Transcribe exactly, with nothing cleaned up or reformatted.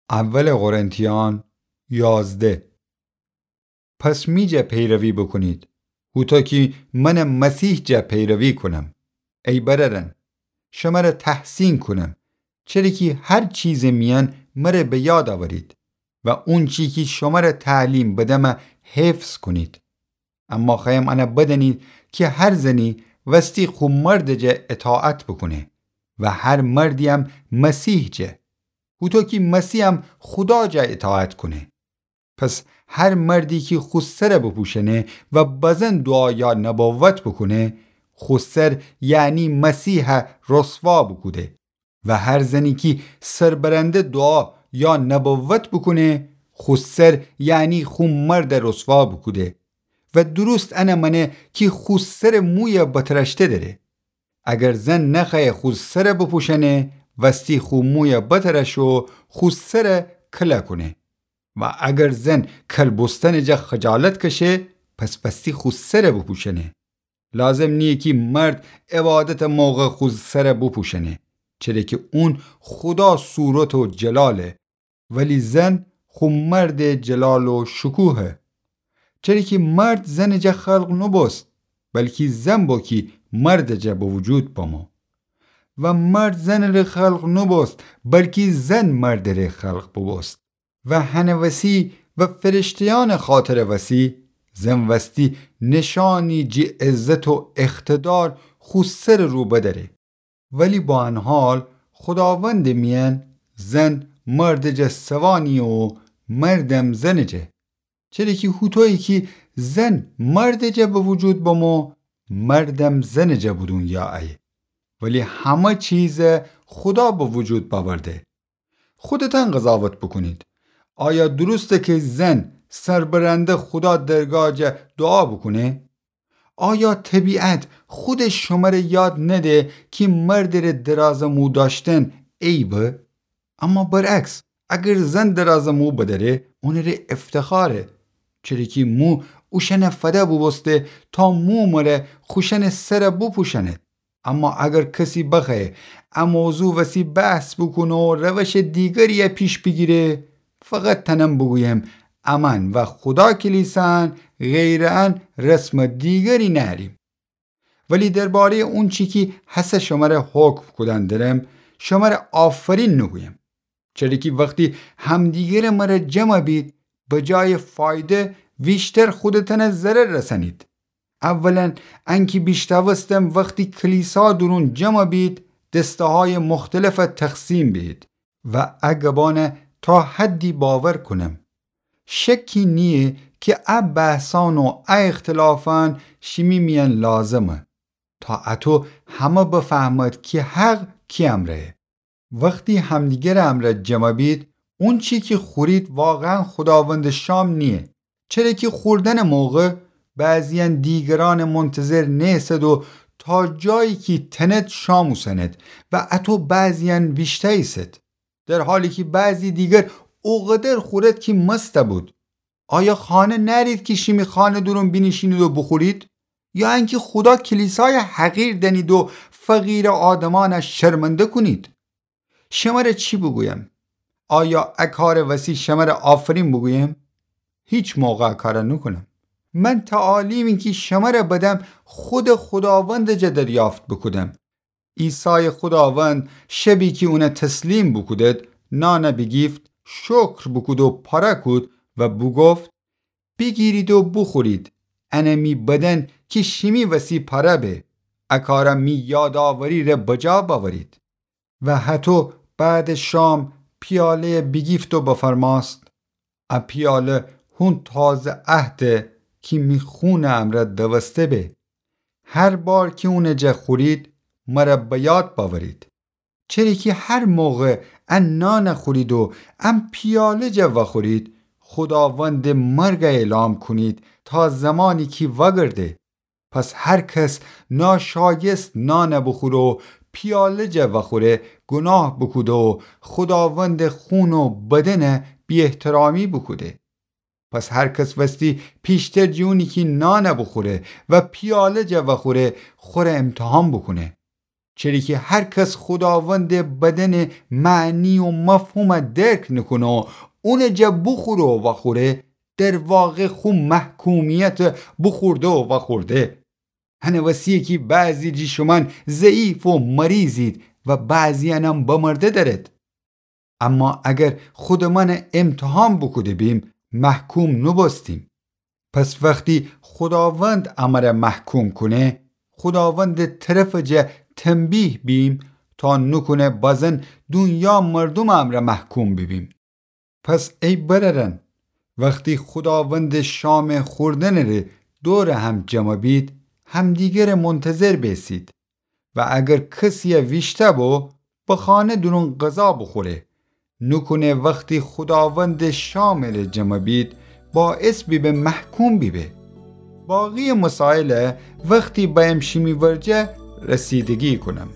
اول قرنتیان یازده. پس می جا پیروی بوکونید، هوطو کی من مسیح جا پیروی کونم. ای برأرأن، شمر تحسین کونم، چره کی هر چیزٚ میأن مر به یاد اورید و اونچی کی شمر تعلیم بدم حفظ کونید. اما خوأیم ان بدأنید کی هر زنی وستی خو مردٚ جا اطاعت بوکونه و هر مردی‌یم مسیح جا، هوطو کی مسیحم خودا جا اطاعت کونه. پس هر مردی کی خو سر بوپوشأنه و بزن دعا یا نبوت بوکونه، خو سر، یعنی مسیح، رسوا بوکوده. و هر زنی کی سربرنده دعا یا نبوت بوکونه، خو سر، یعنی خو مرد رسوا بوکوده. و درست ان مأنه کی خو سر موی بترأشته دأره. اگر زن نخوأیه خو سر بوپوشأنه، وستی خو موی بترأش و خو سر کله کونه. و اگر زن کل بوستنٚ جا خجالت کشه، پس وستی خو سر بوپوشأنه. لازم نییه کی مرد عبادتٚ موقع خو سر بوپوشأنه، چره کی اون خودا صورت و جلاله، ولی زن خو مردٚ جلال و شکوهه. چره کی مرد زنٚ جا خلق نوبوست، بلکی زن بو کی مردٚ جا به وجود بمو. و مرد زنٚ ره خلق نوبوست، بلکی زن مردٚ ره خلق بوبوست. و هنٚ وسی و فرشته‌یأنٚ خاطرٚ وسی، زن وستی نشانی جٚه عزت و اقتدار خو سرٚ رو بدأره. ولی با ان حال خوداوندٚ میأن زن مردٚ جا سوا نییه و مردم زنٚ جا. چره کی هوطویی کی زن مردٚ جا به وجود بمو، مردم زنٚ جا به دونیا ایه. ولی همه چیز خودا به وجود بأورده. خودتأن قضاوت بوکونید. آیا درسته کی زن سربرنده خودا درگاه جا دعا بوکونه؟ آیا طبیعت خودش شمره یاد نده کی مردٚ ره درازٚ مو دأشتن عیبه؟ اما برعکس، اگر زن درازٚ مو بدأره، اونٚ ره افتخاره. چره کی مو اوشأنٚ فده بوبوسته تا مو مره خوشأنٚ سر بوپوشأنه. اما اگر کسی بخوأیه ا موضوع وسی بحث بوکونه و روشٚ دیگری پیش بیگیره، فقط تأنم بوگویم، امأن و خودا کلیسان غیرٚ ان رسمٚ دیگری نأریم. ولی درباره‌یٚ اونچی کی هسه شمره حکم کودن درم، شمره آفرین نوگویم. چره کی وختی همدیگرٚ مره جمع بید، به جایٚ فایده ویشتر خودتأنه ضرر رسنید. اولاً، انکی بیشتاوستم وختی کلیسا دورون جمع بید، دسته‌هایٚ مختلف تقسیم بید و ا گبان تا حدی باور کونم. شکی نییه کی ا بحثان و ا اختلافان شیمی میأن لازمه، تا اتو همه بفهمد کی حق کی امرأیه. وختی همدیگرٚ امرأ جمع بید، اونچی کی خورید واقعاً خوداوندٚ شام نییه. چره کی خوردنٚ موقع بعضیأن دیگرأنٚ منتظر نیسد و تا جایی کی تند شام اوسنید و اتو بعضیأن ویشتأییسید، در حالی کی بعضی دیگر اوقدر خورید کی مست بید. آیا خانه نأرید کی شیمی خانه دورون بینیشینید و بوخورید؟ یا انکی خودا کلیسای حقیر دأنید و فقیرٚ آدمأن شرمنده کونید؟ شمره چی بوگویم؟ آیا ا کارٚ وسی شمره آفرین بوگویم؟ هیچ موقع ا کار نوکونم. من تعالیمی کی شمره بدم خودٚ خوداوندٚ جا دریافت بوکودم. عیسایٚ خوداوند شبی کی اون تسلیم بوکودید، نان بیگیفت، شکر بوکود و پاره کود و بوگفت: بیگیرید و بوخورید، ان می بدن کی شیمی وسی پاره به، ا کار می یادآوری ره بجا بأورید. و هتو بعدٚ شام پیاله‌ی بیگیفت و بفرمأست: ا پیاله هون تازه عهده کی می خونٚ امرأ دوسته به. هر بار کی اونٚ جا خورید، مره به یاد بأورید. چره کی هر موقع ا نان خورید و ا پیاله جا وخورید، خوداوندٚ مرگ اعلام کونید تا زمانی کی وأگرده. پس هر کس ناشایست نان بوخوره و پیاله جا وأخوره، گوناه بوکوده و خوداوندٚ خون و بدن بی‌احترامی بوکوده. پس هر کس وستی پیشتر جٚه اونی کی نان بوخوره و پیاله جا وأخوره، خوره امتحان بوکونه. چره کی هر کس خوداوندٚ بدنٚ معنی و مفهومَ درک نوکونه و اونٚ جا بوخوره و وأخوره، در واقع خو محکومیتَ بوخورده و وأخورده. هنٚ وسیه کی بعضی جٚه شومأن ضعیف و مریضید و بعضی‌یأنم بمرده دأرید. اما اگر خودٚ مأنَ ایمتحان بوکوده بیم، محکوم نوبوستیم. پس وختی خوداوند امرَ محکوم کونه، خوداوندٚ طرفٚ جا تنبیه بیم، تا نوکونه بازن دونیا مردومٚ امرأ محکوم بیبیم. پس ای برأرأن، وختی خوداوندٚ شامٚ خوردنٚ ره دورٚ هم جمع بید، همدیگرٚ منتظر بیسید. و اگر کسی‌یَ ویشتأ بو، به خانه دورون غذا بوخوره. نوکونه وختی خوداوندٚ شامٚ ره جمع بید، باعث بیبه محکوم بیبه. باقی‌یٚ مسائلَ وختی بأیم شیمی ورجه رسیدگی کونم.